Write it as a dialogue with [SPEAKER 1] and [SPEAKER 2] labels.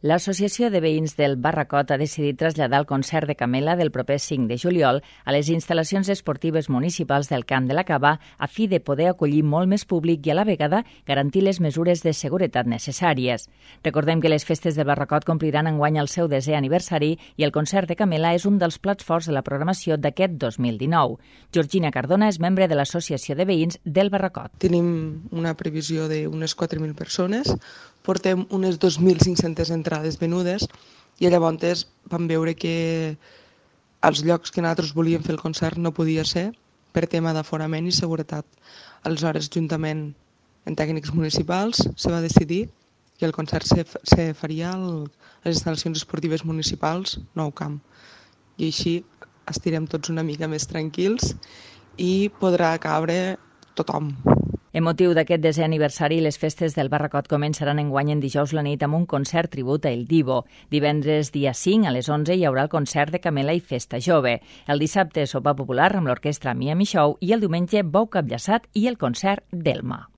[SPEAKER 1] L'Associació de Veïns del Barracot ha decidit traslladar el concert de Camela del proper 5 de juliol a les instal·lacions esportives municipals del Camp de la Cava a fi de poder acollir molt més públic i a la vegada garantir les mesures de seguretat necessàries. Recordem que les festes del Barracot compliran enguany el seu 10è aniversari i el concert de Camela és un dels plats forts de la programació d'aquest 2019. Georgina Cardona és membre de l'Associació de Veïns del Barracot.
[SPEAKER 2] Tenim una previsió d'unes 4.000 persones, portem unes 2.500 entrades venudes i llavors vam veure que els llocs que nosaltres volíem fer el concert no podia ser per tema d'aforament i seguretat. Aleshores, juntament amb tècnics municipals, se va decidir que el concert se faria a les instal·lacions esportives municipals Nou Camp. I així estirem tots una mica més tranquils i podrà cabre tothom.
[SPEAKER 1] En motiu d'aquest 10è aniversari, les festes del Barracot començaran enguany en dijous la nit amb un concert tribut a El Divo. Divendres, dia 5, a les 11, hi haurà el concert de Camela i Festa Jove. El dissabte, sopar popular amb l'orquestra Miami Show i el diumenge, bou capllaçat i el concert d'Elma.